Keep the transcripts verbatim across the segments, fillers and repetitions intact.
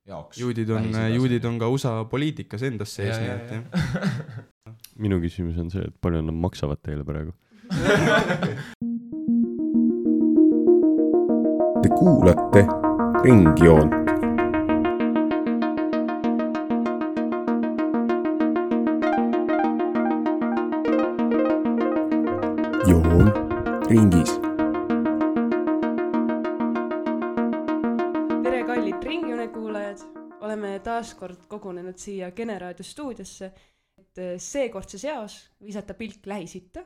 jaoks. Juudid on, juudid on ka U S A poliitikas endas sees. Ja, ja, ja. Minu küsimus on see, et palju nad maksavad teile praegu? Te kuulate Ringjoont. Joon ringis. Tere kallid Ringjoone kuulajad, oleme taas kord kogunenud siia Generaadio stuudiosse, et seekordses jaos visata pilk Lähis-Itta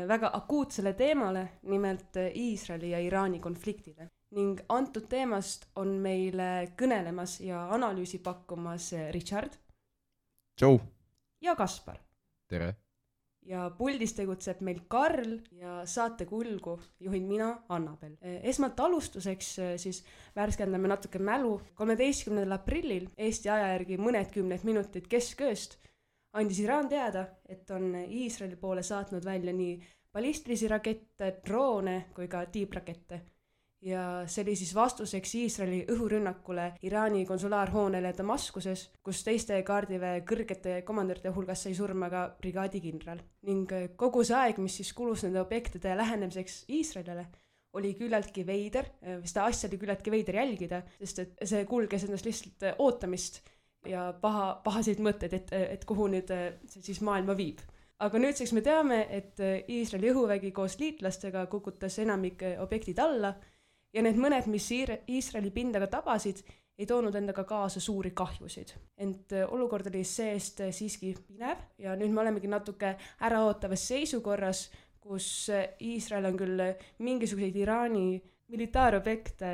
väga akuutsele teemale, nimelt Iisraeli ja Iraani konfliktile. Ning antud teemast on meile kõnelemas ja analüüsi pakkumas Richard. Tšau. Ja Kaspar. Tere. Ja puldis tegutseb meil Karl ja saate kulgu juhin mina, Annabel. Esmalt alustuseks siis värskendame natuke mälu. kolmeteistkümnendal aprillil Eesti aja järgi mõned kümned minutid keskööst andis Iraan teada, et on Iisraeli poole saatnud välja nii ballistilisi rakette, droone kui ka tiibrakette. Ja see oli siis vastuseks Iisraeli õhurünnakule Iraani konsulaarhoonele Damaskuses, kus teiste kaardiväe kõrgete komandöride hulgas sai surma ka brigaadikindral. Ning kogu see aeg, mis siis kulus nende objektide lähenemiseks Iisraelile, oli küllaltki veider, seda asja oli küllaltki veider jälgida, sest et see kulges endast lihtsalt ootamist ja paha, pahaseid mõtteid, et, et kuhu nüüd see siis maailma viib. Aga nüüdseks me teame, et Iisraeli õhuvägi koos liitlastega kukutas enamik objektid alla ja need mõned, mis Iisraeli pindaga tabasid, ei toonud endaga kaasa suuri kahjusid. Ent olukord oli seest siiski pinev ja nüüd me olemegi natuke äraootavas seisukorras, kus Iisrael on küll mingisuguseid Iraani militaarobjekte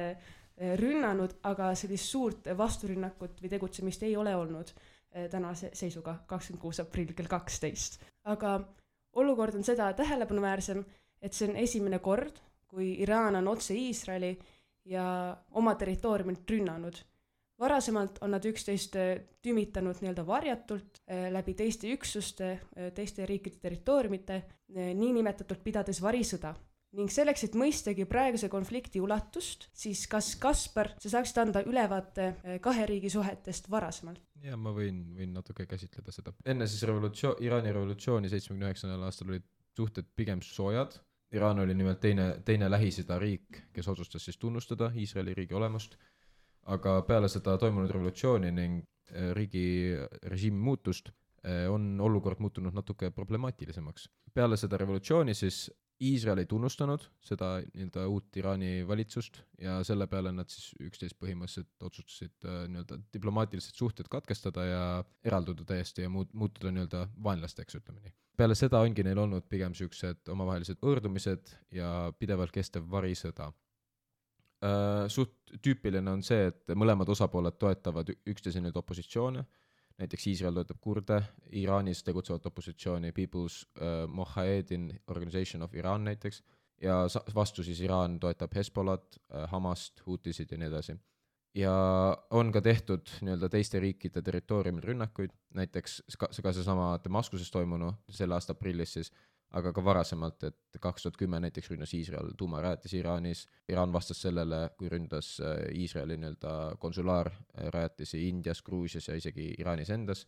rünnanud, aga sellist suurt vasturünnakut või tegutsemist ei ole olnud tänase seisuga kakskümmend kuus aprill kell kaksteist. Aga olukord on seda tähelepanuväärsem, et see on esimene kord, kui Iraan on otse Iisraeli ja oma territooriumilt rünnanud. Varasemalt on nad üksteist tümitanud nii-öelda varjatult läbi teiste üksuste, teiste riikide territooriumite, nii nimetatult pidades varisõda. Ning selleks, et mõistagi praeguse konflikti ulatust, siis kas Kaspar, sa saaksid anda ülevaate kahe riigi suhetest varasemalt? Ja ma võin, võin natuke käsitleda seda. Enne siis revolutsioon, Iraani revolutsiooni seitsmekümne üheksandal aastal olid suhted pigem soojad. Iraan oli nimelt teine, teine Lähis-Ida riik, kes otsustas siis tunnustada Iisraeli riigi olemust, aga peale seda toimunud revolutsiooni ning riigi režiimi muutust on olukord muutunud natuke problemaatilisemaks. Peale seda revolutsiooni siis Iisrael ei tunnustanud seda nii-öelda uut Iraani valitsust ja selle peale nad siis üksteist põhimõtteliselt otsustasid nii-öelda diplomaatilised suhted katkestada ja eralduda täiesti ja muutuda nii-öelda vaenlasteks, ütleme nii. Peale seda ongi neil olnud pigem sellised omavahelised õrdumised ja pidevalt kestev varisõda. Suht tüüpiline on see, et mõlemad osapooled toetavad üksteise nüüd opositsioone, näiteks Iisrael toetab kurde, Iraanis tegutsevat opositsiooni People's uh, Mojahedin Organization of Iran näiteks, ja vastu siis Iraan toetab Hezbollat, uh, Hamast, Hutisid ja nii edasi. Ja on ka tehtud nii-öelda teiste riikide territooriumil rünnakuid, näiteks ka, ka seesama Damaskuses toimunu selle aasta aprillis siis, aga ka varasemalt, et kaks tuhat kümme näiteks ründas Iisrael tuumarajatisi Iraanis. Iraan vastas sellele, kui ründas Iisraeli nii-öelda konsulaarrajatisi Indias, Gruusias ja isegi Iraanis endas.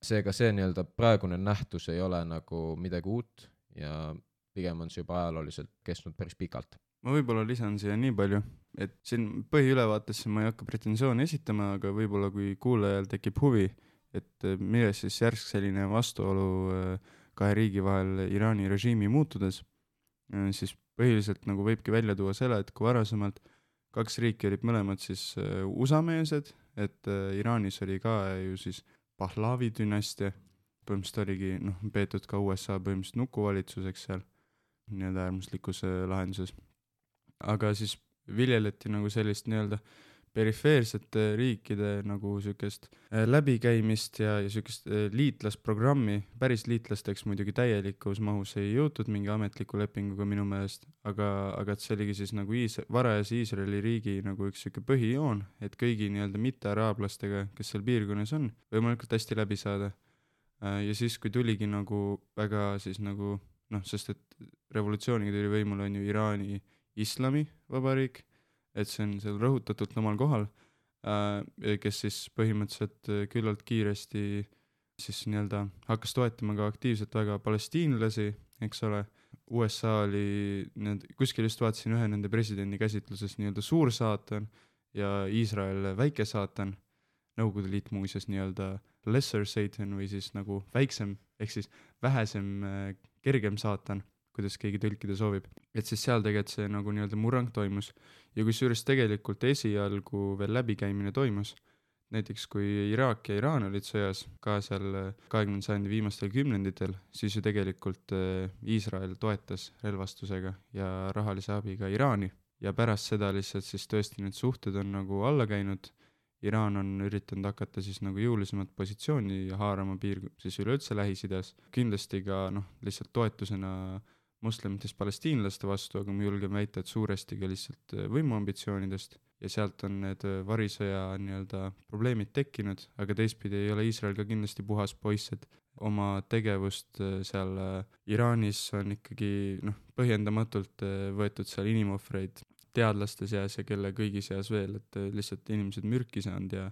Seega see nii-öelda praegune nähtus ei ole nagu midagi uut ja pigem on see juba ajalooliselt kestnud päris pikalt. Ma võib-olla lisan siia nii palju, et siin põhiülevaatesse ma ei hakka pretensiooni esitama, aga võib-olla kui kuulajal tekib huvi, et milles siis järsk selline vastuolu kahe riigi vahel Iraani režiimi muutudes, siis põhiliselt nagu võibki välja tuua selle, et kui varasemalt kaks riiki olid mõlemad siis U S A-meelsed, et Iraanis oli ka ju siis Pahlavi dünastia, põhimõtteliselt oligi noh, peetud ka U S A põhimõtteliselt nukuvalitsuseks seal, nii-öelda äärmuslikus lahenduses. Aga siis viljeleti nagu sellist nii-öelda perifeersete riikide nagu sükest läbikäimist ja, ja sükest liitlasprogrammi. Päris liitlasteks muidugi täielikus mahus ei jõutud mingi ametliku lepinguga minu meelest, aga, aga see oligi siis nagu Iis, varajas Iisraeli riigi nagu üks süke põhijoon, et kõigi nii-öelda mitte-araablastega, kes seal piirkonnas on, võimalikult hästi läbi saada. Ja siis, kui tuligi nagu väga siis nagu, noh, sest et revolutsiooniga tuli võimul on ju Iraani islami vabariik, et see on seal rõhutatult omal kohal, kes siis põhimõtteliselt küllalt kiiresti siis nii-öelda hakkas toetama ka aktiivselt väga palestiinlasi, eks ole. U S A oli, need, kuskil just vaatasin ühe nende presidendi käsitluses nii-öelda suur saatan ja Iisrael väike saatan, Nõukogude Liit muuseas nii-öelda lesser satan või siis nagu väiksem, ehk siis vähesem, kergem saatan, kuidas keegi tõlkida soovib. Et siis seal tegelikult see nagu nii-öelda murrang toimus ja kusjuures tegelikult esialgu veel läbikäimine toimus. Näiteks kui Iraak ja Iraan olid sõjas ka seal kahekümnenda sajandi viimastel kümnenditel, siis ju tegelikult Iisrael toetas relvastusega ja rahalise abiga Iraani ja pärast seda lihtsalt siis tõesti need suhted on nagu alla käinud. Iraan on üritanud hakata siis nagu jõulisemat positsiooni ja haarama piir siis üleüldse Lähis-Idas. Kindlasti ka noh, lihtsalt toetusena moslemitest palestiinlaste vastu, aga ma julgen väita, et suuresti ka lihtsalt võimuambitsioonidest ja sealt on need varisõja nii-öelda probleemid tekkinud, aga teistpidi ei ole Iisrael ka kindlasti puhas poiss, et oma tegevust seal Iraanis on ikkagi noh, põhjendamatult võetud seal inimohvreid teadlaste seas ja kelle kõigi seas veel, et lihtsalt inimesed mürki saanud ja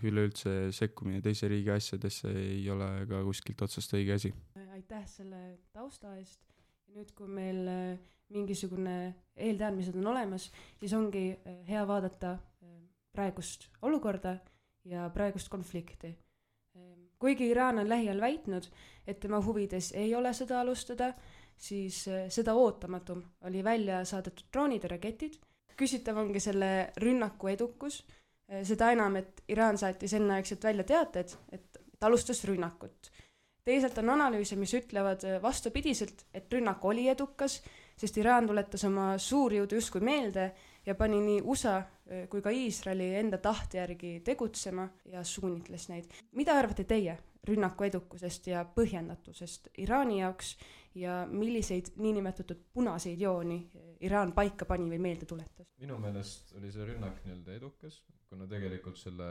üleüldse sekkumine teise riigi asjadesse ei ole ka kuskilt otsast õige asi. Aitäh selle tausta eest. Nüüd, kui meil mingisugune eelteadmised on olemas, siis ongi hea vaadata praegust olukorda ja praegust konflikti. Kuigi Iraan on lähiajal väitnud, et tema huvides ei ole sõda alustada, siis seda ootamatum oli välja saadetud droonid ja raketid. Küsitav ongi selle rünnaku edukus, seda enam, et Iraan saatis enneaegselt välja teated, et alustas rünnakut. Teisalt on analüüse, mis ütlevad vastupidiselt, et rünnak oli edukas, sest Iraan tuletas oma suurjõudu justkui meelde ja pani nii U S A kui ka Iisraeli enda tahte järgi tegutsema ja suunitles neid. Mida arvate teie rünnaku edukusest ja põhjendatusest Iraani jaoks ja milliseid niinimetatud punaseid jooni Iraan paika pani või meelde tuletas? Minu meelest oli see rünnak nii-öelda edukas, kuna tegelikult selle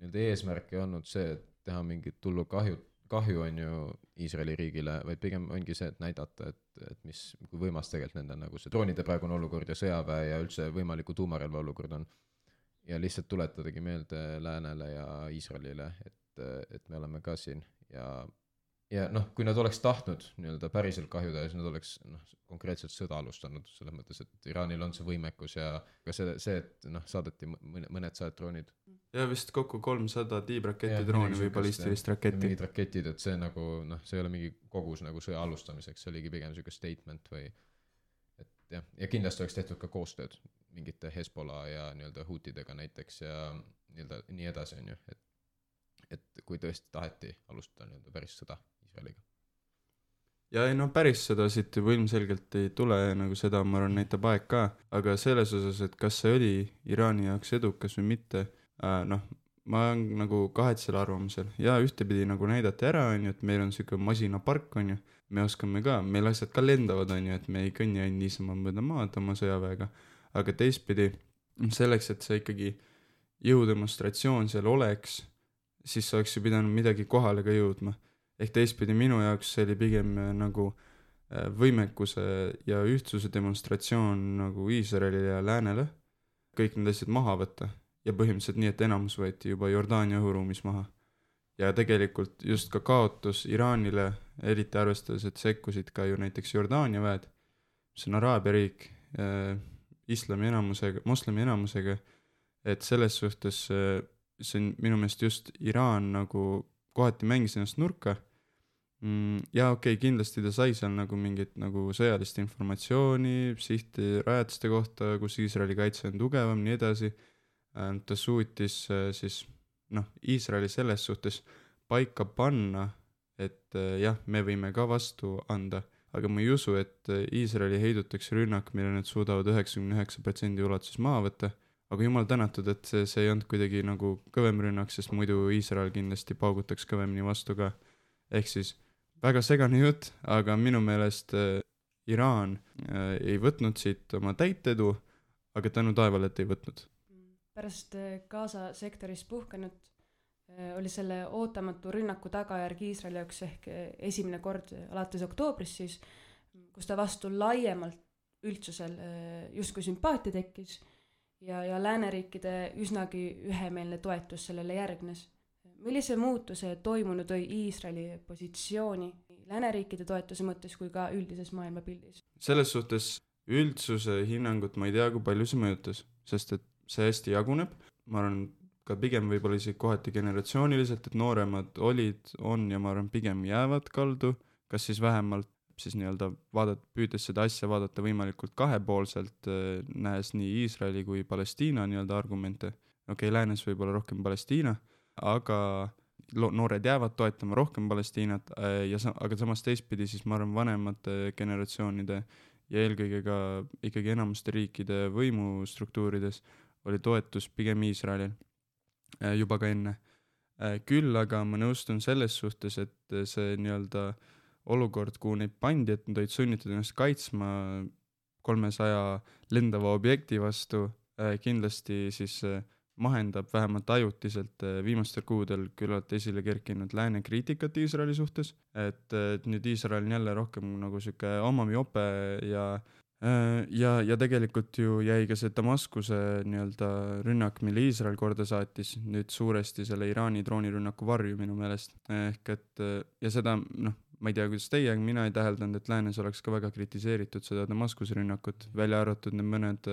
nii-öelda eesmärk ei olnud see, et teha mingit tullu kahju, kahju on ju Iisraeli riigile, vaid pigem ongi see, et näidata, et, et mis, kui võimas tegelikult nende nagu see droonide praegune olukord ja sõjaväe ja üldse võimaliku tuumarelva olukord on. Ja lihtsalt tuletadagi meelde Läänele ja Iisraelile, et, et me oleme ka siin ja Ja noh, kui nad oleks tahtnud nii-öelda päriselt kahjuda, siis nad oleks noh, konkreetselt sõda alustanud, selles mõttes, et Iraanil on see võimekus ja ka see, see et noh, saadeti mõned sajad droonid. Ja vist kokku kolmsada tiibraketi drooni või ballistilist raketti. Mingid raketid, et see nagu noh, see ei ole mingi kogus nagu sõja alustamiseks, see oligi pigem selline statement või et jah, ja kindlasti oleks tehtud ka koostööd mingite Hezbollah ja nii-öelda Houtidega näiteks ja nii-öelda nii edasi on ju, et, et kui tõesti taheti alustada nii-öelda päris sõda Iisraeliga. Ja ei no päris seda siit juba ilmselgelt ei tule, nagu seda ma arvan näitab aeg ka, aga selles osas, et kas see oli Iraani jaoks edukas või mitte, äh, noh, ma olen nagu kahetsel arvamusel ja ühtepidi nagu näidati ära, on ju, et meil on siuke masinapark, on ju, me oskame ka, meil asjad ka lendavad, on ju, et me ei kõnni ainult niisama mööda maad oma sõjaväega, aga teistpidi selleks, et see ikkagi jõudemonstratsioon seal oleks, siis oleks ju pidanud midagi kohale ka jõudma. Ehk teistpidi minu jaoks see oli pigem nagu võimekuse ja ühtsuse demonstratsioon nagu Iisraelile ja Läänele, kõik need asjad maha võtta ja põhimõtteliselt nii, et enamus võeti juba Jordaania õhuruumis maha. Ja tegelikult just ka kaotus Iraanile, eriti arvestades, et sekkusid ka ju näiteks Jordaania väed, mis on Araabia riik, äh, islami enamusega, moslemi enamusega, et selles suhtes äh, see on minu meelest just Iraan nagu kohati mängis ennast nurka mm, ja okei, okay, kindlasti ta sai seal nagu mingit nagu sõjalist informatsiooni sihti rajatiste kohta, kus Iisraeli kaitse on tugevam, nii edasi. Ta suutis siis noh, Iisraeli selles suhtes paika panna, et jah, me võime ka vastu anda, aga ma ei usu, et Iisraeli heidutakse rünnak, mille nad suudavad üheksakümne üheksa protsendi ulatuses maha võtta. Aga jumal tänatud, et see, see ei olnud kuidagi nagu kõvem rünnak, sest muidu Iisrael kindlasti paugutaks kõvemini vastu ka. Ehk siis väga segane jutt, aga minu meelest äh, Iraan äh, ei võtnud siit oma täitedu, aga tänu taevale, et ei võtnud. Pärast Gaza sektoris puhkenud äh, oli selle ootamatu rünnaku tagajärg Iisraeli jaoks ehk esimene kord alates oktoobris siis, kus ta vastu laiemalt üldsusel äh, justkui sümpaatia tekkis. ja, ja lääneriikide üsnagi ühemeelne toetus sellele järgnes. Millise muutuse toimunu tõi Iisraeli positsiooni lääneriikide toetuse mõttes kui ka üldises maailmapildis? Selles suhtes üldsuse hinnangut ma ei tea, kui palju see mõjutas, sest et see hästi jaguneb. Ma arvan, ka pigem võib-olla isegi kohati generatsiooniliselt, et nooremad olid, on ja ma arvan, pigem jäävad kaldu, kas siis vähemalt siis nii-öelda vaadat, püüdes seda asja vaadata võimalikult kahepoolselt, nähes nii Iisraeli kui Palestiina nii-öelda argumente. Okei, okay, läänes võib-olla rohkem Palestiina, aga noored jäävad toetama rohkem Palestiinat, ja sa, aga samas teistpidi siis ma arvan vanemate generatsioonide ja eelkõige ka ikkagi enamuste riikide võimustruktuurides oli toetus pigem Iisraelil juba ka enne. Küll aga ma nõustun selles suhtes, et see nii-öelda olukord, kuhu neid pandi, et nad olid sunnitud ennast kaitsma kolmesaja lendava objekti vastu, kindlasti siis mahendab vähemalt ajutiselt viimastel kuudel küllalt esile kerkinud lääne kriitikat Iisraeli suhtes, et, et nüüd Iisrael on jälle rohkem nagu siuke omamiope ja, ja, ja tegelikult ju jäi ka see Damaskuse nii-öelda rünnak, mille Iisrael korda saatis, nüüd suuresti selle Iraani droonirünnaku varju minu meelest. Ehk et, ja seda, noh, ma ei tea, kuidas teie, mina ei täheldanud, et läänes oleks ka väga kritiseeritud seda Damaskuse rünnakut, välja arvatud need mõned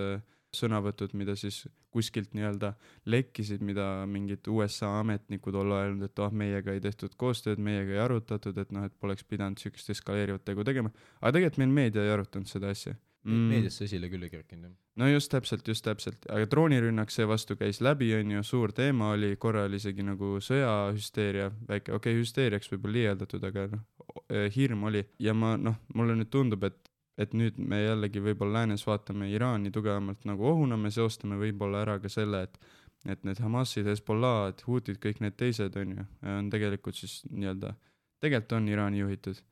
sõnavõtud, mida siis kuskilt nii-öelda lekkisid, mida mingid U S A ametnikud olla öelnud, et oh, meiega ei tehtud koostööd, meiega ei arutatud, et noh, et poleks pidanud sükest eskaleerivat tegu tegema. Aga tegelikult meil meedia ei arutanud seda asja. Mm. Meediasse esile küll ei kerkinud. No just täpselt, just täpselt. Aga droonirünnak see vastu käis läbi, on ju, suur teema oli, korra oli isegi nagu sõjahüsteeria, väike, okei, okay, hüsteeriaks võib-olla liialdatud, aga noh, hirm oli. Ja ma, noh, mulle nüüd tundub, et et nüüd me jällegi võib-olla läänes vaatame Iraani tugevamalt nagu ohuna, me seostame võib-olla ära ka selle, et, et need Hamasid, Hezbollah, Hutid, kõik need teised on ju, on tegelikult siis nii-öelda, tegelikult on Iraani juhitud.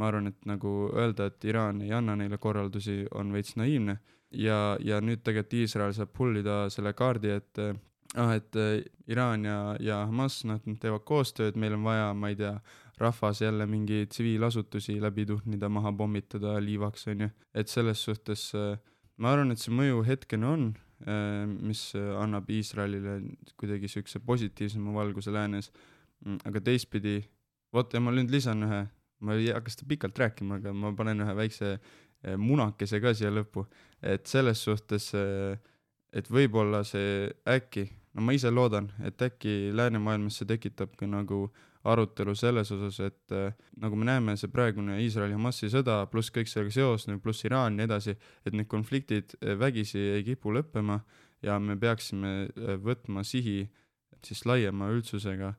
Ma arvan, et nagu öelda, et Iraan ei anna neile korraldusi, on veits naiivne ja, ja nüüd tegelikult Iisrael saab pullida selle kaardi, et ah, et Iraan ja, ja Hamas, nad teevad koostööd, meil on vaja, ma ei tea, rahvas jälle mingi tsiviilasutusi läbi tuhnida, maha pommitada liivaks, on ju. Et selles suhtes ma arvan, et see mõju hetkene on, mis annab Iisraelile kuidagi sükse positiivsema valguse läänes, aga teistpidi, vot ja ma nüüd lisan ühe, ma ei hakka seda pikalt rääkima, aga ma panen ühe väikse munakese ka siia lõppu, et selles suhtes, et võib-olla see äkki, no ma ise loodan, et äkki läänemaailmas see tekitab ka nagu arutelu selles osas, et äh, nagu me näeme, see praegune Iisraeli-Hamasi sõda, pluss kõik sellega seosne, pluss Iraan ja edasi, et need konfliktid vägisi ei kipu lõppema ja me peaksime võtma sihi siis laiema üldsusega,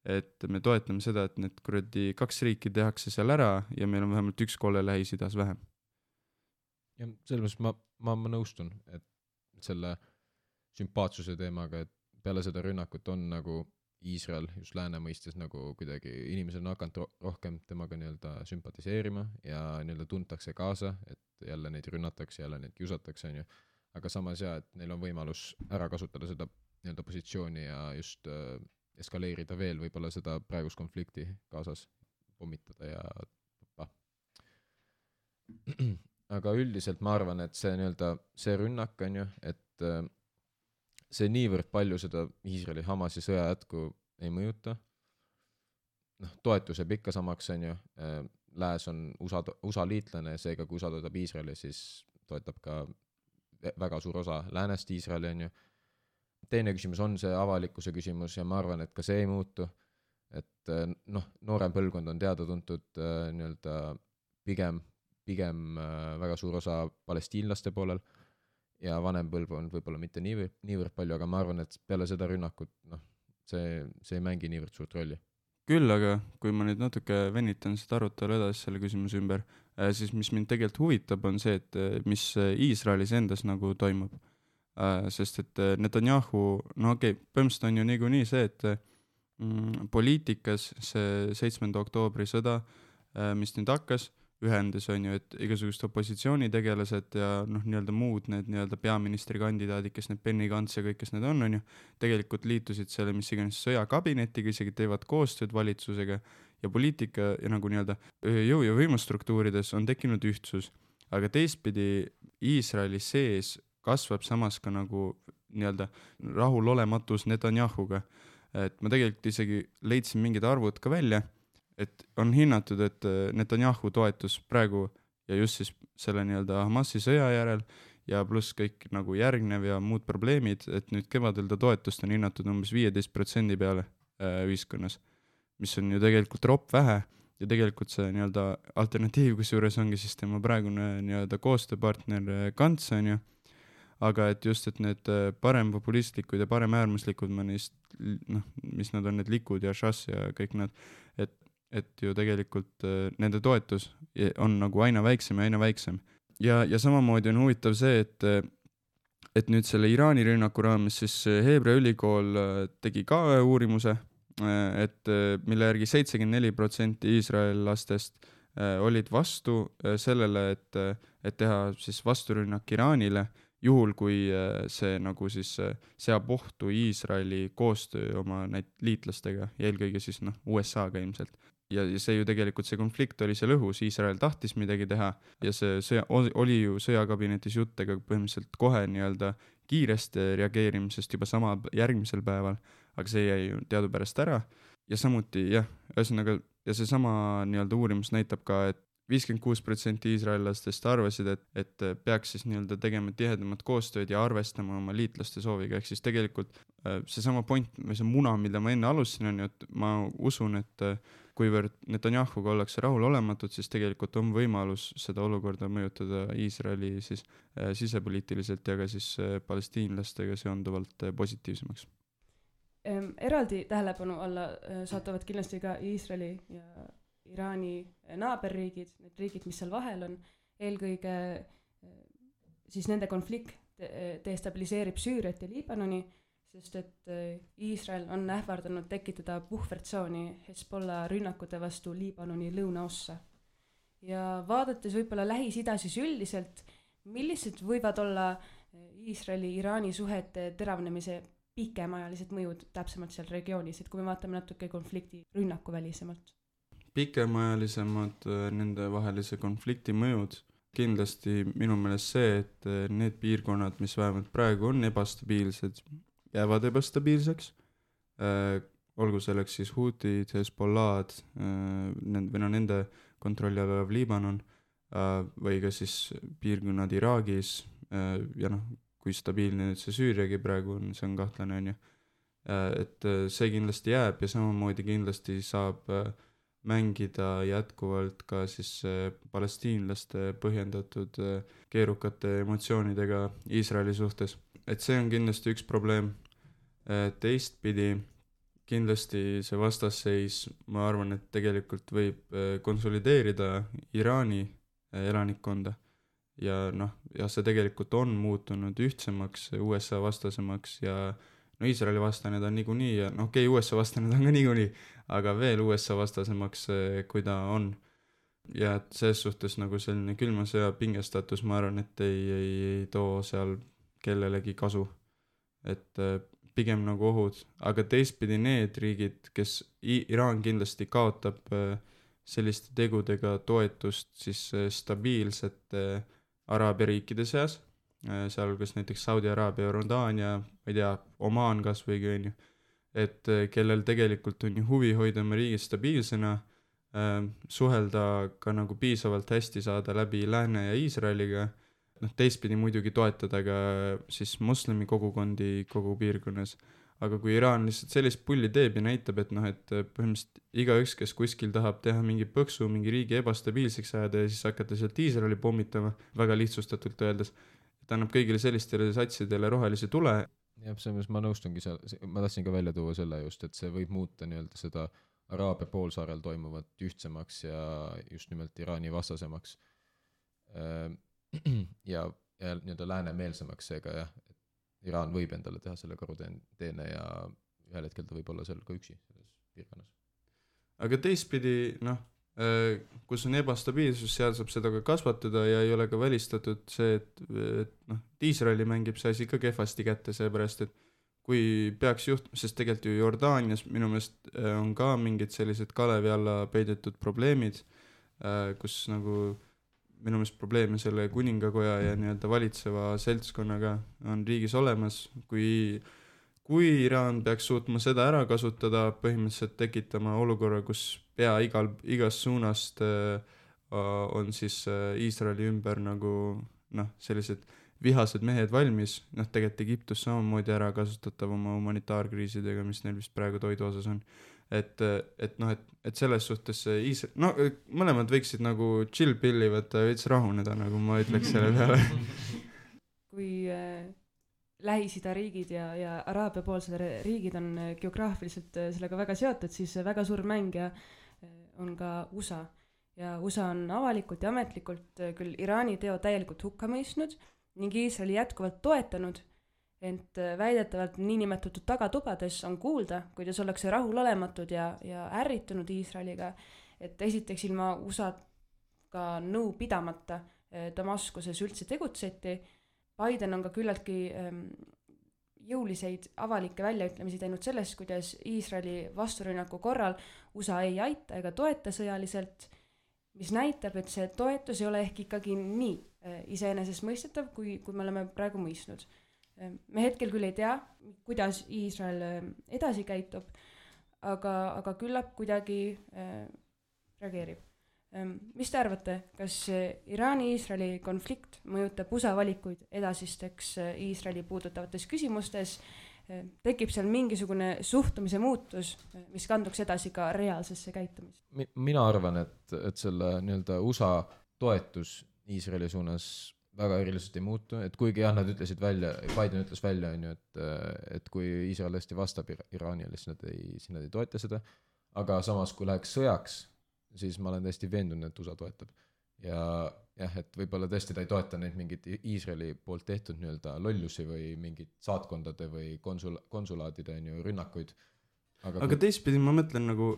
et me toetame seda, et need kuradi kaks riiki tehakse seal ära ja meil on vähemalt üks kolle Lähis-Idas vähem. Ja selles ma, ma, ma nõustun, et selle sümpaatsuse teemaga, et peale seda rünnakut on nagu Iisrael just lääne mõistes nagu kuidagi inimesed on hakanud ro- rohkem temaga nii-öelda sümpatiseerima ja nii-öelda tuntakse kaasa, et jälle neid rünnatakse, jälle neid kiusatakse, on ju. Aga samas ja, et neil on võimalus ära kasutada seda nii-öelda positsiooni ja just äh, eskaleerida veel võib-olla seda praegust konflikti kaasas, pommitada ja pa. Aga üldiselt ma arvan, et see nii-öelda see rünnak on ju, et äh, see niivõrd palju seda Iisraeli Hamasi sõja jätku ei mõjuta. Noh, toetus jääb ikka samaks, on ju. Lääs on U S A, U S A liitlane, seega kui U S A toetab Iisraeli, siis toetab ka väga suur osa läänest Iisraeli, on ju. Teine küsimus on see avalikkuse küsimus ja ma arvan, et ka see ei muutu. Et noh, noorem põlvkond on teada tuntud nii-öelda pigem, pigem väga suur osa palestiinlaste poolel. Ja vanem põlvkond võib-olla mitte niivõrd, niivõrd palju, aga ma arvan, et peale seda rünnakut, noh, see, see ei mängi niivõrd suurt rolli. Küll, aga kui ma nüüd natuke venitan seda arutelu edasi selle küsimuse ümber, siis mis mind tegelikult huvitab on see, et mis Iisraelis endas nagu toimub. Sest et Netanyahu, no okei, okay, põhimõtteliselt on ju niikuinii see, et mm, poliitikas see seitsmenda oktoobri sõda, mis nüüd hakkas, ühendas on ju, et igasugust opositsioonitegelased ja noh, nii-öelda muud need nii-öelda peaministrikandidaadid, kes need Benny Gantz ja kõik, kes need on, on ju, tegelikult liitusid selle, mis iganes sõjakabinetiga, isegi teevad koostööd valitsusega ja poliitika ja nagu nii-öelda jõu- ja võimustruktuurides on tekkinud ühtsus. Aga teistpidi Iisraeli sees kasvab samas ka nagu nii-öelda rahulolematus Netanyahuga. Et ma tegelikult isegi leidsin mingid arvud ka välja, et on hinnatud, et Netanyahu toetus praegu ja just siis selle nii-öelda Hamasi sõja järel ja pluss kõik nagu järgnev ja muud probleemid, et nüüd kevadel ta toetust on hinnatud umbes viieteist protsendi peale äh, ühiskonnas, mis on ju tegelikult ropp vähe ja tegelikult see nii-öelda alternatiiv, kus juures ongi siis tema praegune nii-öelda koostööpartner Gantz on ju, aga et just, et need parempopulistlikud ja paremäärmuslikud, ma neist, noh, mis nad on, need Likud ja Shas ja kõik nad, et, et ju tegelikult nende toetus on nagu aina väiksem ja aina väiksem. Ja, ja samamoodi on huvitav see, et, et nüüd selle Iraani rünnaku raames siis Hebra ülikool tegi ka uurimuse, et mille järgi seitsekümmend neli protsenti iisraellastest olid vastu sellele, et, et teha siis vasturünnak Iraanile, juhul kui see nagu siis seab ohtu Iisraeli koostöö oma näit liitlastega ja eelkõige siis noh U S A-ga ilmselt. Ja, ja see ju tegelikult see konflikt oli seal õhus, Iisrael tahtis midagi teha ja see sõja, oli ju sõjakabinetis juttega põhimõtteliselt kohe nii-öelda kiiresti reageerimisest juba sama järgmisel päeval, aga see jäi ju teadupärast ära ja samuti jah, ühesõnaga ja see sama nii-öelda uurimus näitab ka, et viiskümmend kuus protsenti iisraellastest arvasid, et, et peaks siis nii-öelda tegema tihedamat koostööd ja arvestama oma liitlaste sooviga, ehk siis tegelikult see sama point või see muna, mida ma enne alustasin, on ju, et ma usun, et kuivõrd Netanyahuga ollakse rahul olematud, siis tegelikult on võimalus seda olukorda mõjutada Iisraeli siis äh, sisepoliitiliselt ja ka siis äh, palestiinlastega seonduvalt äh, positiivsemaks. Ehm, eraldi tähelepanu alla äh, saatuvad kindlasti ka Iisraeli ja Iraani naaberriigid, need riigid, mis seal vahel on, eelkõige siis nende konflikt destabiliseerib Süüriat ja Liibanoni, sest et Iisrael on ähvardanud tekitada puhvertsooni Hezbollah rünnakute vastu Liibanoni lõunaossa. Ja vaadates võib-olla Lähis-Ida siis üldiselt, millised võivad olla Iisraeli-Iraani suhete teravnemise pikemaajalised mõjud täpsemalt seal regioonis, et kui me vaatame natuke konflikti rünnaku välisemalt? Pikemaajalisemad nende vahelise konflikti mõjud, kindlasti minu meelest see, et need piirkonnad, mis vähemalt praegu on ebastabiilsed, jäävad ebastabiilseks, äh, olgu selleks siis Hutid, Hezbollah'd äh, või no nende kontrolli all olev Liibanon äh, või ka siis piirkonnad Iraagis äh, ja noh, kui stabiilne nüüd see Süüriagi praegu on, see on kahtlane on ju, äh, et see kindlasti jääb ja samamoodi kindlasti saab äh, mängida jätkuvalt ka siis äh, palestiinlaste põhjendatud äh, keerukate emotsioonidega Iisraeli suhtes. Et see on kindlasti üks probleem. Äh, teistpidi kindlasti see vastasseis, ma arvan, et tegelikult võib äh, konsolideerida Iraani äh, elanikkonda. Ja noh, ja see tegelikult on muutunud ühtsemaks, U S A vastasemaks ja no Iisraeli vastane ta on niikuinii ja noh, okei, okay, U S A vastane ta on ka niikuinii, aga veel U S A vastasemaks, kui ta on. Ja selles suhtes nagu selline külma sõja pingestatus, ma arvan, et ei, ei, ei too seal kellelegi kasu. Et pigem nagu ohud, aga teistpidi need riigid, kes Iraan kindlasti kaotab selliste tegudega toetust siis stabiilsete araabia riikide seas, sealhulgas näiteks Saudi-Araabia, Jordaania, ma ei tea, Omaan kas või on ju, et kellel tegelikult on ju huvi hoida oma riigi stabiilsena, äh, suhelda ka nagu piisavalt hästi saada läbi Lääne ja Iisraeliga, noh teistpidi muidugi toetada ka siis moslemi kogukondi kogu piirkonnas, aga kui Iraan lihtsalt sellist pulli teeb ja näitab, et noh, et põhimõtteliselt igaüks, kes kuskil tahab teha mingi põksu, mingi riigi ebastabiilseks ajada ja siis hakata sealt Iisraeli pommitama, väga lihtsustatult öeldes, ta annab kõigile sellistele satsidele rohelise tule. Jah, selles ma nõustungi seal, ma tahtsin ka välja tuua selle just, et see võib muuta nii-öelda seda Araabia poolsaarel toimuvat ühtsemaks ja just nimelt Iraani vastasemaks ja, ja nii-öelda läänemeelsemaks seega jah, et Iraan võib endale teha selle karuteene ja ühel hetkel ta võib olla seal ka üksi selles piirkonnas. Aga teistpidi, noh, kus on ebastabiilsus, seal saab seda ka kasvatada ja ei ole ka välistatud see, et, et noh, Iisraeli mängib see asi ka kehvasti kätte, seepärast, et kui peaks juht-, sest tegelikult ju Jordaanias minu meelest on ka mingid sellised kalevi alla peidetud probleemid, kus nagu minu meelest probleeme selle kuningakoja ja nii-öelda valitseva seltskonnaga on riigis olemas, kui kui Iraan peaks suutma seda ära kasutada, põhimõtteliselt tekitama olukorra, kus pea igal, igast suunast äh, on siis äh, Iisraeli ümber nagu noh, sellised vihased mehed valmis, noh tegelikult Egiptus samamoodi ära kasutatav oma humanitaarkriisidega, mis neil vist praegu toidu osas on. Et, et noh, et, et selles suhtes Iisrael, no mõlemad võiksid nagu chill pilli võtta ja veits rahuneda, nagu ma ütleks selle peale. Kui äh, Lähis-Ida riigid ja, ja Araabia poolsed riigid on geograafiliselt sellega väga seotud, siis väga suur mängija on ka U S A. Ja U S A on avalikult ja ametlikult küll Iraani teo täielikult hukka mõistnud ning Iisraeli jätkuvalt toetanud, ent väidetavalt niinimetatud tagatubades on kuulda, kuidas ollakse rahulolematud ja, ja ärritunud Iisraeliga, et esiteks ilma U S A-ga nõu pidamata Damaskuses üldse tegutseti. Biden on ka küllaltki ähm, jõuliseid avalikke väljaütlemisi teinud sellest, kuidas Iisraeli vasturünnaku korral U S A ei aita ega toeta sõjaliselt, mis näitab, et see toetus ei ole ehk ikkagi nii äh, iseenesest mõistetav, kui, kui me oleme praegu mõistnud. Me hetkel küll ei tea, kuidas Iisrael edasi käitub, aga, aga küllap kuidagi äh, reageerib. Mis te arvate, kas Iraani-Iisraeli konflikt mõjutab U S A valikuid edasisteks Iisraeli puudutavates küsimustes? Tekib seal mingisugune suhtumise muutus, mis kanduks edasi ka reaalsesse käitumist? Mina arvan, et, et selle nii-öelda U S A toetus Iisraeli suunas väga eriliselt ei muutu, et kuigi jah, nad ütlesid välja, Biden ütles välja, on ju, et, et kui Iisrael hästi vastab Iraanile, siis nad ei, siis nad ei toeta seda, aga samas kui läheks sõjaks, siis ma olen täiesti veendunud, et U S A toetab. Ja jah, et võib-olla tõesti ta ei toeta neid mingid Iisraeli poolt tehtud nii-öelda lollusi või mingid saatkondade või konsul, konsulaadide on ju rünnakuid. Aga, aga kui... teistpidi ma mõtlen nagu,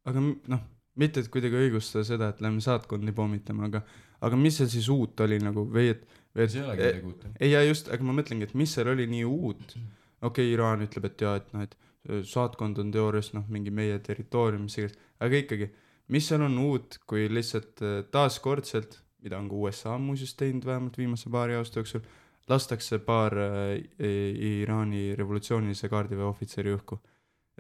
aga noh, mitte et kuidagi õigustada seda, et lähme saatkondi pommitama, aga, aga mis seal siis uut oli nagu, või et, või et see ei olegi midagi uut. Ei, ja just, aga ma mõtlengi, et mis seal oli nii uut. Okei, okay, Iraan ütleb, et jaa, et, noh, et saatkond on teoorias noh, mingi meie territoorium, aga ikkagi, mis seal on uut, kui lihtsalt taaskordselt, mida on ka U S A muuseas teinud vähemalt viimase paari aasta jooksul, lastakse paar äh, Iraani revolutsioonilise kaardiväe ohvitseri õhku.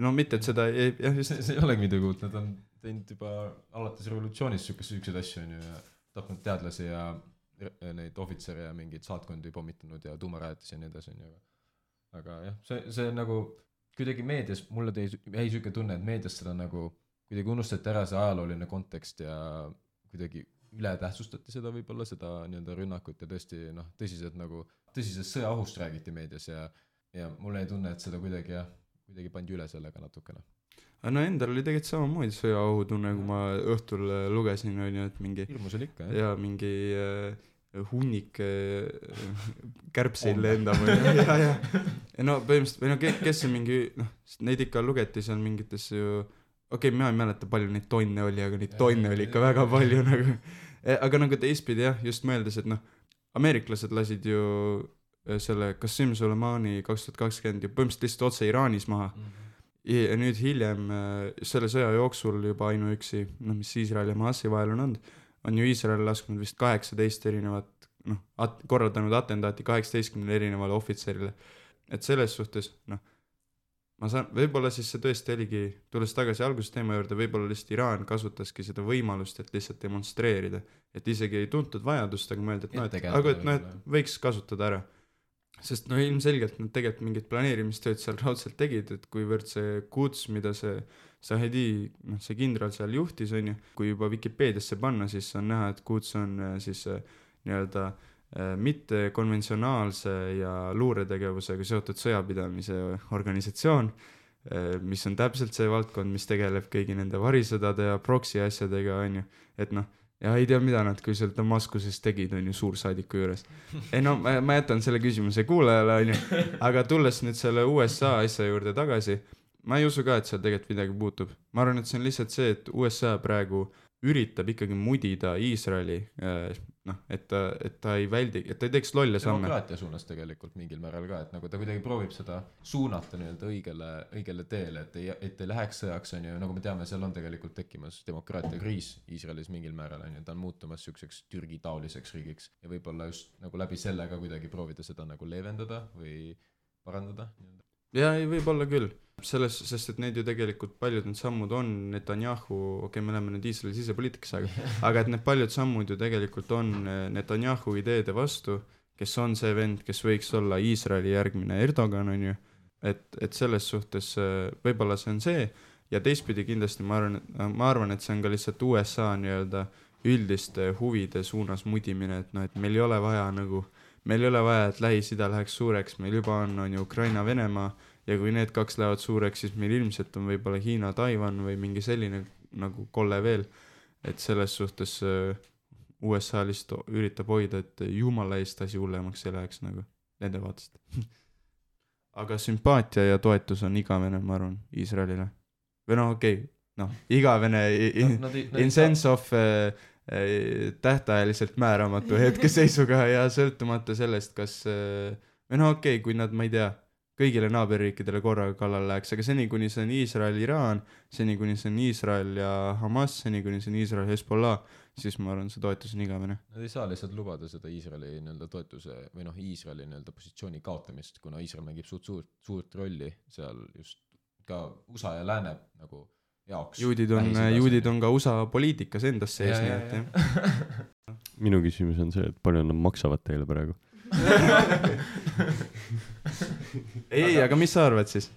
No mitte, et seda ei, jah, just... see, see ei olegi midagi uut, nad on teinud juba alates revolutsioonist sükkeid asju on ju, ja tapnud teadlasi ja neid ohvitsere ja mingeid saatkondi pommitanud ja tuumarajatisi ja nii edasi on ju. Aga jah, see, see nagu kuidagi meedias, mulle tõi ei süüke tunne, et meedias seda nagu kuidagi unustati ära see ajalooline kontekst ja kuidagi üle tähtsustati seda võib-olla, seda nii-öelda rünnakut ja tõesti noh, tõsiselt nagu, tõsisest sõjaohust räägiti meedias ja, ja mulle ei tunne, et seda kuidagi jah, kuidagi pandi üle sellega natukene. No endal oli tegelikult samamoodi sõjaohutunne, kui ma õhtul lugesin, on ju, et mingi... Hirmus oli ikka, jah. Ja mingi äh, hunnik äh, kärbseid lendab. ja, ja. ja no põhimõtteliselt, või no kes, kes on mingi, noh, neid ikka lugeti seal mingites ju... Okei, okay, ma ei mäleta palju neid tonne oli, aga neid tonne oli ikka väga palju nagu. Aga nagu teistpidi jah, just mõeldes, et noh, ameeriklased lasid ju selle Qasem Soleimani kaks tuhat kakskümmend ja põhimõtteliselt lihtsalt otse Iraanis maha. Mm-hmm. Ja nüüd hiljem selle sõja jooksul juba ainuüksi, noh, mis Iisrael ja Hamasi vahel on olnud, on ju Iisrael lasknud vist kaheksateist erinevat, noh, at- korraldanud atentaati kaheksateistkümnele erinevale ohvitserile. Et selles suhtes, noh, ma saan, võib-olla siis see tõesti oligi, tulles tagasi algusteema juurde, võib-olla lihtsalt Iraan kasutaski seda võimalust, et lihtsalt demonstreerida, et isegi ei tuntud vajadust, aga mõelda, et noh, et, aga et, noh, et võiks kasutada ära. Sest no ilmselgelt nad tegelikult mingit planeerimistööd seal raudselt tegid, et kuivõrd see Quds, mida see Zahedi, noh, see kindral seal juhtis, on ju, kui juba Wikipeediasse panna, siis on näha, et Quds on siis nii-öelda mitte konventsionaalse ja luuretegevusega seotud sõjapidamise organisatsioon, mis on täpselt see valdkond, mis tegeleb kõigi nende varisõdade ja proksi asjadega, on ju, et noh, ja ei tea, mida nad kui seal Damaskuses tegid, on ju, suursaadiku juures. Ei no, ma, ma jätan selle küsimuse kuulajale, on ju, aga tulles nüüd selle U S A asja juurde tagasi, ma ei usu ka, et seal tegelikult midagi puutub. Ma arvan, et see on lihtsalt see, et U S A praegu üritab ikkagi mudida Iisraeli äh, noh, et ta, et ta ei väldi, et ta ei teeks lolle samme. Demokraatia suunas tegelikult mingil määral ka, et nagu ta kuidagi proovib seda suunata nii-öelda õigele, õigele teele, et ei, et ei läheks sõjaks, on ju, nagu me teame, seal on tegelikult tekkimas demokraatia kriis Iisraelis mingil määral, on ju, ta on muutumas siukseks Türgi taoliseks riigiks ja võib-olla just nagu läbi selle ka kuidagi proovida seda nagu leevendada või parandada. Ja ei, võib-olla küll. Selles, sest et need ju tegelikult paljud need sammud on Netanyahu, okei okay,, me oleme nüüd Iisraeli sisepoliitikas, aga, aga et need paljud sammud ju tegelikult on Netanyahu ideede vastu, kes on see vend, kes võiks olla Iisraeli järgmine Erdogan, on ju, et, et selles suhtes võib-olla see on see ja teistpidi kindlasti ma arvan, ma arvan, et see on ka lihtsalt U S A nii-öelda üldiste huvide suunas mudimine, et noh, et meil ei ole vaja nagu meil ei ole vaja, et Lähis-Ida läheks suureks, meil juba on, on ju Ukraina, Venemaa ja kui need kaks lähevad suureks, siis meil ilmselt on võib-olla Hiina, Taiwan või mingi selline nagu kolle veel, et selles suhtes U S A lihtsalt üritab hoida, et jumala eest asi hullemaks ei läheks nagu nende vaatest. Aga sümpaatia ja toetus on igavene, ma arvan, Iisraelile. Või noh, okei, okay, noh, igavene in, no, in, in sense of tähtajaliselt määramatu hetkeseisuga ja sõltumata sellest, kas või no okei, okay, kui nad, ma ei tea, kõigile naaberriikidele korraga kallal läheks, aga seni, kuni see on Iisrael, Iraan, seni, kuni see on Iisrael ja Hamas, seni, kuni see on Iisrael, Hezbollah, siis ma arvan, see toetus on igavene. Nad ei saa lihtsalt lubada seda Iisraeli nii-öelda toetuse või noh, Iisraeli nii-öelda positsiooni kaotamist, kuna Iisrael mängib suurt, suurt, suurt rolli seal just ka U S A ja Lääne nagu jaoks. Juudid on, juudid on ka U S A poliitikas endas sees, nii et jah. Minu küsimus on see, et palju nad maksavad teile praegu? ei, aga mis sa arvad siis?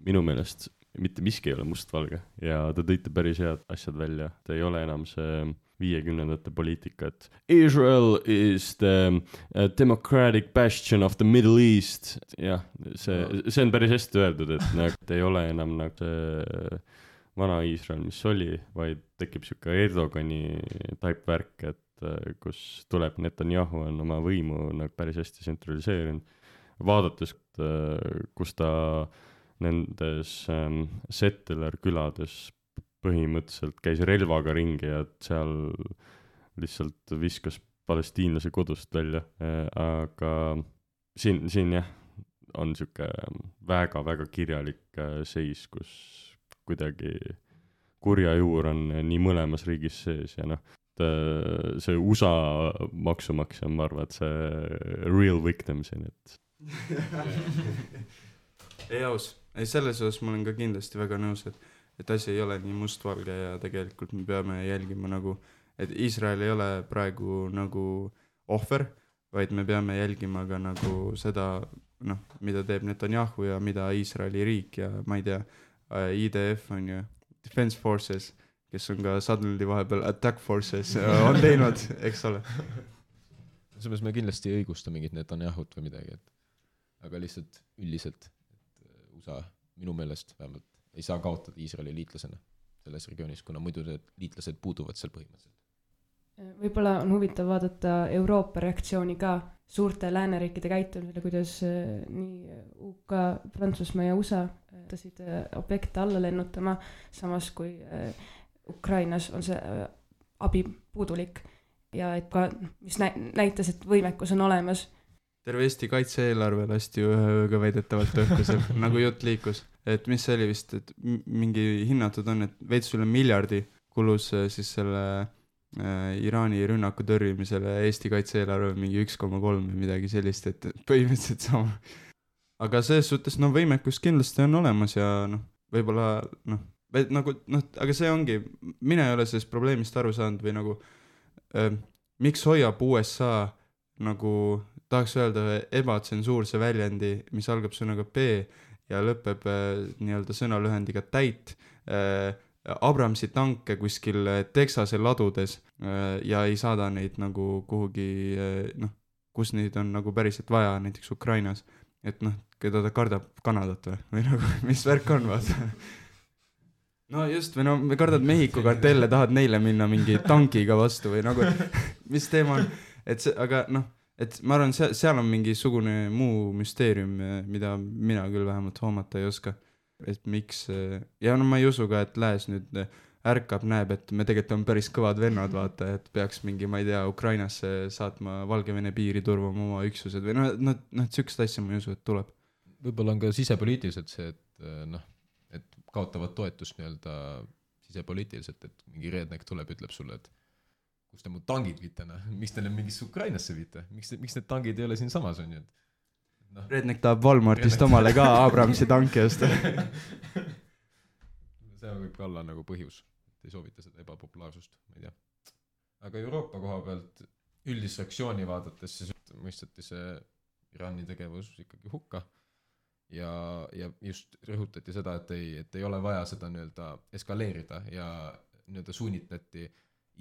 Minu meelest mitte miski ei ole mustvalge ja te tõite päris head asjad välja. Ta ei ole enam see viiekümnendate poliitika, et Israel is the uh, democratic bastion of the Middle East. Jah, see, see on päris hästi öeldud, et nagu ei ole enam nagu see vana Iisrael, mis oli, vaid tekib siuke Erdogani type värk, et kus tuleb Netanyahu on oma võimu nagu päris hästi tsentraliseerinud. Vaadates, kus ta nendes ähm, settler külades põhimõtteliselt käis relvaga ringi ja seal lihtsalt viskas palestiinlase kodust välja, aga siin, siin jah, on siuke väga-väga kirjalik seis, kus kuidagi kurja juur on nii mõlemas riigis sees ja noh, see U S A maksumaksja on, ma arvan, et see real victim siin, et ei aus, ei selles osas ma olen ka kindlasti väga nõus, et, et asi ei ole nii mustvalge ja tegelikult me peame jälgima nagu, et Iisrael ei ole praegu nagu ohver, vaid me peame jälgima ka nagu seda, noh, mida teeb Netanyahu ja mida Iisraeli riik ja ma ei tea, I D F on ju, Defense Forces, kes on ka suddenly vahepeal Attack Forces on teinud, eks ole. Selles me kindlasti ei õigusta mingit Netanyahut või midagi, et aga lihtsalt üldiselt, et U S A minu meelest vähemalt ei saa kaotada Iisraeli liitlasena selles regioonis, kuna muidu need liitlased puuduvad seal põhimõtteliselt. Võib-olla on huvitav vaadata Euroopa reaktsiooni ka suurte lääneriikide käitumisele, kuidas nii U K, Prantsusmaa ja U S A tasid objekte alla lennutama, samas kui Ukrainas on see abi puudulik ja et ka, mis näitas, et võimekus on olemas. Terve Eesti kaitse-eelarve lasti ühe ööga väidetavalt õhkusel, nagu jutt liikus. Et mis see oli vist, et mingi hinnatud on, et veits üle miljardi kulus siis selle äh, Iraani rünnaku tõrjumisele Eesti kaitse-eelarve mingi üks koma kolm või midagi sellist, et põhimõtteliselt sama. Aga selles suhtes, no võimekus kindlasti on olemas ja noh, võib-olla noh, nagu, noh, aga see ongi, mina ei ole sellest probleemist aru saanud või nagu äh, miks hoiab U S A nagu tahaks öelda ebatsensuurse väljendi, mis algab sõnaga P ja lõpeb äh, nii-öelda sõnalühendiga täit äh, Abramsi tanke kuskil Texase ladudes äh, ja ei saada neid nagu kuhugi äh, noh, kus neid on nagu päriselt vaja, näiteks Ukrainas, et noh, keda ta kardab Kanadat või, või nagu, mis värk on, vaata. No just, või no me kardad Mehhiko kartelle, tahad neile minna mingi tankiga vastu või nagu, mis teema on, et see, aga noh, et ma arvan, seal, seal on mingisugune muu müsteerium, mida mina küll vähemalt hoomata ei oska. et miks ja no ma ei usu ka, et lääs nüüd ärkab, näeb, et me tegelikult on päris kõvad vennad, vaata, et peaks mingi, ma ei tea, Ukrainasse saatma Valgevene piiri turvama oma üksused või noh, noh, noh, et sükst asja ma ei usu, et tuleb. Võib-olla on ka sisepoliitiliselt see, et noh, et kaotavad toetust nii-öelda sisepoliitiliselt, et mingi redneck tuleb, ütleb sulle, et kus te mu tangid viite, noh, miks te need mingisse Ukrainasse viite, miks, miks need tangid ei ole siin samas, on ju, et no. Redneck tahab Walmartist Redneck. Omale ka Abramsi tanki osta. See võib ka olla nagu põhjus, et ei soovita seda ebapopulaarsust, ma ei tea. Aga Euroopa koha pealt üldist reaktsiooni vaadates siis mõisteti see Iraani tegevus ikkagi hukka ja, ja just rõhutati seda, et ei, et ei ole vaja seda nii-öelda eskaleerida ja nii-öelda suunitleti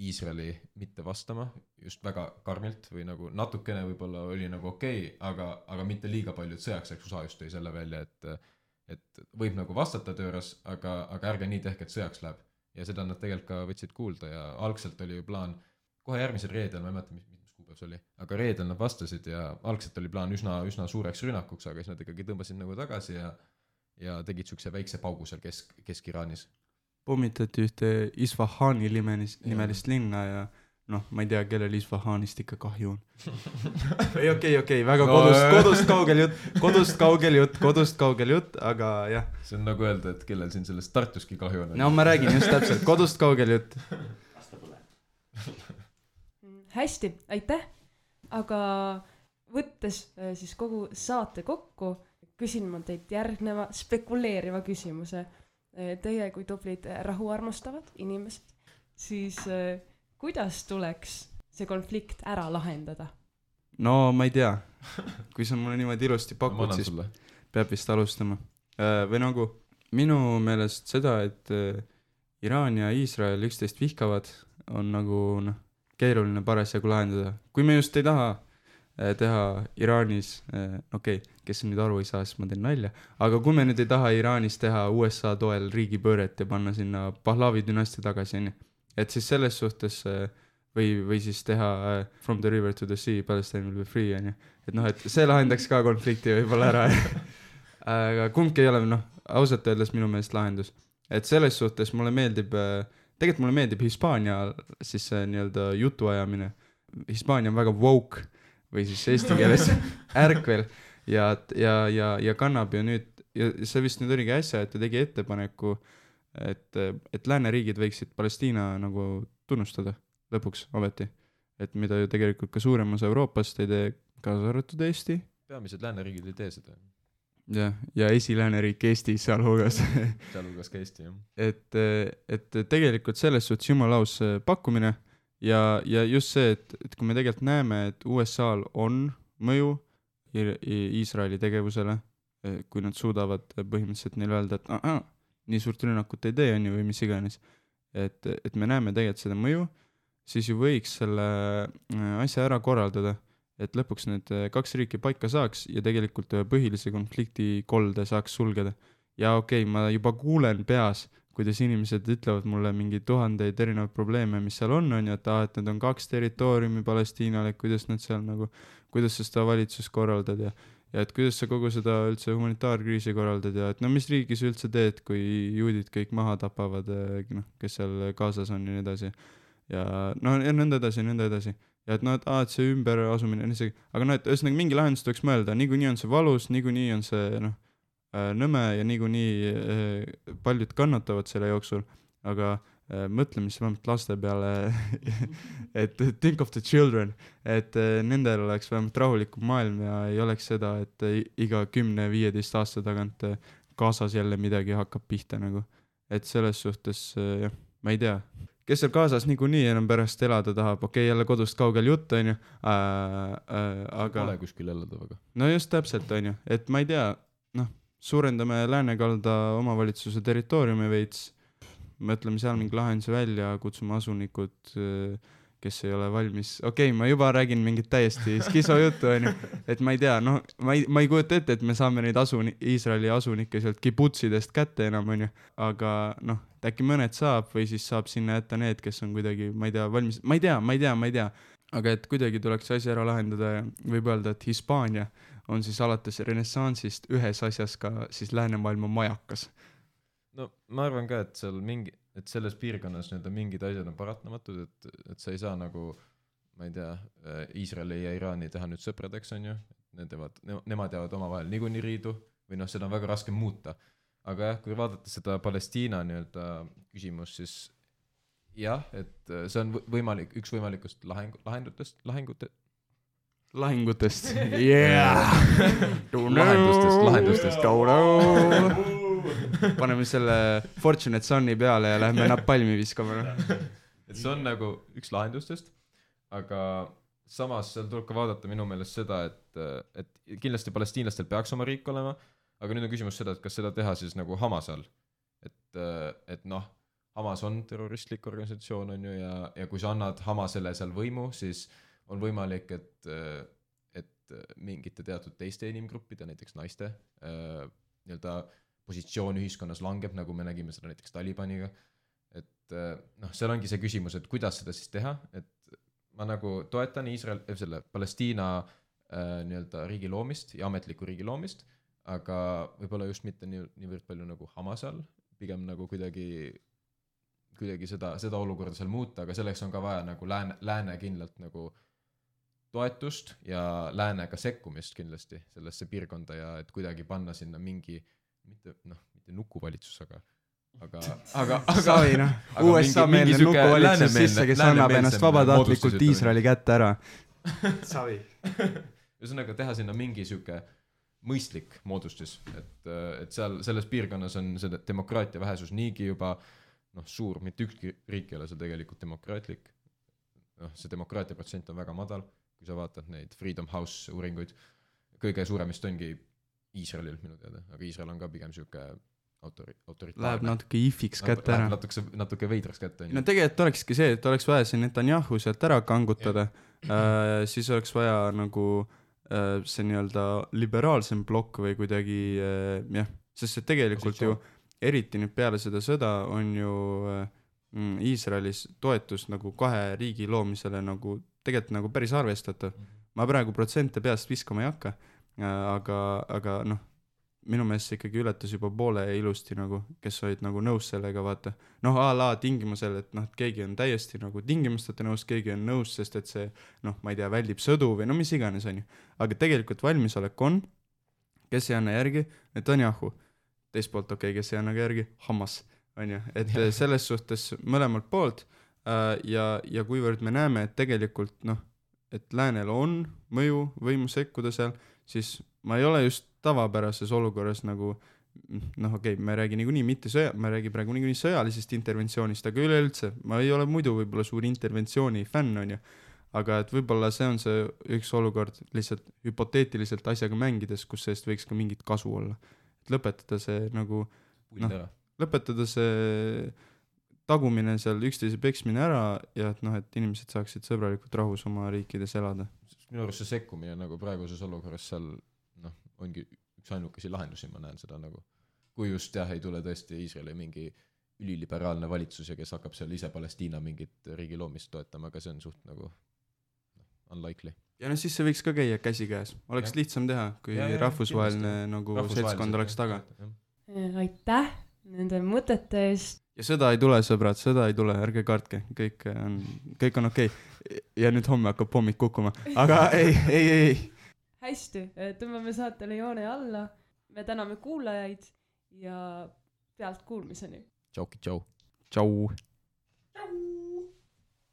Iisraeli mitte vastama just väga karmilt või nagu natukene võib-olla oli nagu okei, okay, aga, aga mitte liiga palju, et sõjaks eks U S A just tõi selle välja, et et võib nagu vastata tööras, aga, aga ärge nii tehke, et sõjaks läheb. Ja seda nad tegelikult ka võtsid kuulda ja algselt oli ju plaan, kohe järgmisel reedel, ma ei mäleta, mis, mis kuupäev see oli, aga reedel nad vastasid ja algselt oli plaan üsna, üsna suureks rünnakuks, aga siis nad ikkagi tõmbasid nagu tagasi ja, ja tegid sükse väikse paugu seal kesk, Kesk-Iraanis. Pommitati ühte Isfahani nimelist, nimelist linna ja noh, ma ei tea, kellel Isfahanist ikka kahju on. ei, okei, okei, väga no, kodust, kodust kaugel jutt, kodust kaugel jutt, kodust kaugel jutt, aga jah. See on nagu öelda, et kellel siin sellest Tartuski kahju on. No ma räägin just täpselt, kodust kaugel jutt. Hästi, aitäh. Aga võttes siis kogu saate kokku, küsin ma teilt järgneva spekuleeriva küsimuse. Teie kui tublid rahuarmastavad inimesed, siis kuidas tuleks see konflikt ära lahendada? No ma ei tea, kui sa mulle niimoodi ilusti pakud, no, siis sulle. Peab vist alustama. Või nagu minu meelest seda, et Iraan ja Iisrael üksteist vihkavad, on nagu noh, keeruline parasjagu lahendada. Kui me just ei taha teha Iraanis, okei, okay, kes nüüd aru ei saa, siis ma teen nalja, aga kui me nüüd ei taha Iraanis teha U S A toel riigipööret ja panna sinna Pahlavi dünastia tagasi, et siis selles suhtes või, või siis teha From the River to the Sea, Palestine will be free, et noh, et see lahendaks ka konflikti võib-olla ära. Aga kumbki ei ole, noh, ausalt öeldes minu meelest lahendus. Et selles suhtes mulle meeldib, tegelikult mulle meeldib Hispaania siis nii-öelda jutuajamine. Hispaania on väga woke või siis eesti keeles ärkvel ja, ja, ja, ja kannab ju nüüd, ja see vist nüüd oligi äsja, et ta tegi ettepaneku, et, et lääneriigid võiksid Palestiina nagu tunnustada lõpuks ometi, et mida ju tegelikult ka suurem osa Euroopast ei tee, kaasa arvatud Eesti. Peamised lääneriigid ei tee seda. Ja, ja esilääneriik Eesti sealhulgas. sealhulgas ka Eesti, jah. Et, et tegelikult selles suhtes jumalaus pakkumine ja, ja just see, et, et kui me tegelikult näeme, et U S A-l on mõju Iisraeli tegevusele, kui nad suudavad põhimõtteliselt neil öelda, et ah, nii suurt rünnakut ei tee, on ju, või mis iganes. Et, et me näeme tegelikult seda mõju, siis ju võiks selle asja ära korraldada, et lõpuks need kaks riiki paika saaks ja tegelikult põhilise konflikti kolde saaks sulgeda. Ja okei, okay, ma juba kuulen peas, kuidas inimesed ütlevad mulle mingi tuhandeid erinevaid probleeme, mis seal on, on ju, et, ah, et need on kaks territooriumi Palestiinale, kuidas nad seal nagu, kuidas sa seda valitsus korraldad ja ja et kuidas sa kogu seda üldse humanitaarkriisi korraldad ja et no mis riigis üldse teed, kui juudid kõik maha tapavad, noh, kes seal kaasas on ja nii edasi. Ja no ja nõnda edasi, nõnda edasi. Ja et no, et, ah, et see ümber asumine, aga no, et ühesõnaga mingi lahendus tuleks mõelda, niikuinii on see valus, niikuinii on see noh, nõme ja niikuinii paljud kannatavad selle jooksul, aga mõtleme siis vähemalt laste peale, et think of the children, et nendel oleks vähemalt rahulikum maailm ja ei oleks seda, et iga kümne viieteist aasta tagant kaasas jälle midagi hakkab pihta nagu. Et selles suhtes, jah, ma ei tea, kes seal kaasas niikuinii enam pärast elada tahab, okei, jälle kodust kaugel jutt, on ju, aga... Pole kuskil elada väga. No just täpselt, on ju, et ma ei tea, noh, suurendame Läänekalda omavalitsuse territooriumi veits, mõtleme seal mingi lahenduse välja, kutsume asunikud, kes ei ole valmis. Okei, okay, ma juba räägin mingit täiesti skiso juttu, on ju. Et ma ei tea, noh, ma ei, ma ei kujuta ette, et me saame neid asuni, Iisraeli asunikke sealt kibutsidest kätte enam, on ju. Aga noh, äkki mõned saab või siis saab sinna jätta need, kes on kuidagi, ma ei tea, valmis. Ma ei tea, ma ei tea, ma ei tea. Aga et kuidagi tuleks asi ära lahendada ja võib öelda, et Hispaania on siis alates renessansist ühes asjas ka siis läänemaailma majakas. no ma arvan ka, et seal mingi, et selles piirkonnas nii-öelda mingid asjad on paratamatud, et, et sa ei saa nagu, ma ei tea, Iisraeli ja Iraani teha nüüd sõpradeks, on ju, need jäävad, nemad jäävad omavahel niikuinii riidu või noh, seda on väga raske muuta. Aga jah, kui vaadata seda Palestiina nii-öelda küsimus, siis jah, et see on võimalik, üks võimalikust laheng, lahendutest, lahengute lahingutest. Yeah! lahendustest, lahendustest. Paneme selle Fortunate Sunni peale ja lähme napalmi viskama. Et see on nagu üks lahendustest, aga samas seal tuleb ka vaadata minu meelest seda, et, et kindlasti palestiinlastel peaks oma riik olema, aga nüüd on küsimus seda, et kas seda teha siis nagu Hamas all. Et, et noh, Hamas on terroristlik organisatsioon, on ju, ja, ja kui sa annad Hamasele seal võimu, siis on võimalik, et, et mingite teatud teiste inimgruppide, näiteks naiste, nii-öelda positsioon ühiskonnas langeb, nagu me nägime seda näiteks Talibaniga. Et noh, seal ongi see küsimus, et kuidas seda siis teha, et ma nagu toetan Iisrael, selle Palestiina nii-öelda riigi loomist ja ametliku riigi loomist, aga võib-olla just mitte nii, niivõrd palju nagu Hamas all, pigem nagu kuidagi kuidagi seda, seda olukorda seal muuta, aga selleks on ka vaja nagu lääne, lääne kindlalt nagu toetust ja läänega sekkumist kindlasti sellesse piirkonda ja et kuidagi panna sinna mingi, mitte, noh, mitte nukuvalitsus, aga aga, aga, aga Savi, noh, U S A meelne nukuvalitsus sisse, kes annab ennast vabatahtlikult Iisraeli kätte ära. Savi. Ühesõnaga teha sinna mingi siuke mõistlik moodustis, et, et seal selles piirkonnas on see demokraatia vähesus niigi juba noh, suur, mitte ükski riik ei ole see tegelikult demokraatlik. Noh, see demokraatia protsent on väga madal, kui sa vaatad neid Freedom House uuringuid. Kõige suuremist ongi Iisraelil minu teada, aga Iisrael on ka pigem siuke autori, autoritaarne. Läheb natuke ifiks kätte ära. Läheb natuke, natuke veidraks kätte. No tegelikult olekski see, et oleks vaja see Netanyahu sealt ära kangutada, äh, siis oleks vaja nagu äh, see nii-öelda liberaalsem blokk või kuidagi äh, jah, sest see tegelikult Positsioon. ju eriti nüüd peale seda sõda on ju mm, Iisraelis toetus nagu kahe riigi loomisele nagu tegelikult nagu päris arvestatav. Ma praegu protsente peast viskama ei hakka, aga, aga noh, minu meelest see ikkagi ületas juba poole ilusti nagu, kes olid nagu nõus sellega, vaata. Noh, a la tingimusel, et noh, et keegi on täiesti nagu tingimusteta nõus, keegi on nõus, sest et see, noh, ma ei tea, väldib sõdu või no mis iganes on ju. Aga tegelikult valmisolek on, kes ei anna järgi, Netanyahu. Teist poolt okei, okay, kes ei anna järgi, Hamas, on ju, et selles suhtes mõlemalt poolt äh, ja, ja kuivõrd me näeme, et tegelikult noh, et läänel on mõju võimu sekkuda seal, siis ma ei ole just tavapärases olukorras nagu noh, okei okay,, ma ei räägi niikuinii mitte sõja, ma räägi praegu niikuinii sõjalisest interventsioonist, aga üleüldse, ma ei ole muidu võib-olla suur interventsiooni fänn, on ju, aga et võib-olla see on see üks olukord lihtsalt hüpoteetiliselt asjaga mängides, kus sellest võiks ka mingit kasu olla. Et lõpetada see nagu noh, lõpetada see tagumine seal üksteise peksmine ära ja et noh, et inimesed saaksid sõbralikult rahus oma riikides elada. Minu arust see sekkumine nagu praeguses olukorras seal noh, ongi üks ainukesi lahendusi, ma näen seda nagu, kui just jah, ei tule tõesti Iisraeli mingi üliliberaalne valitsus ja kes hakkab seal ise Palestiina mingit riigi loomist toetama, aga see on suht nagu unlikely. Ja no siis see võiks ka käia käsi käes. Oleks ja. lihtsam teha, kui ja, ja, rahvusvaheline nagu seltskond oleks taga. Aitäh nende mõtete eest. Ja sõda ei tule, sõbrad, sõda ei tule, ärge kartke. Kõik on, kõik on okei. Okay. Ja nüüd homme hakkab pommik kukkuma. Aga ei, ei, ei. Hästi, tõmbame saatele joone alla. Me täname kuulajaid ja pealt kuulmiseni. Tšauki, tšau. Tšau. Tšau.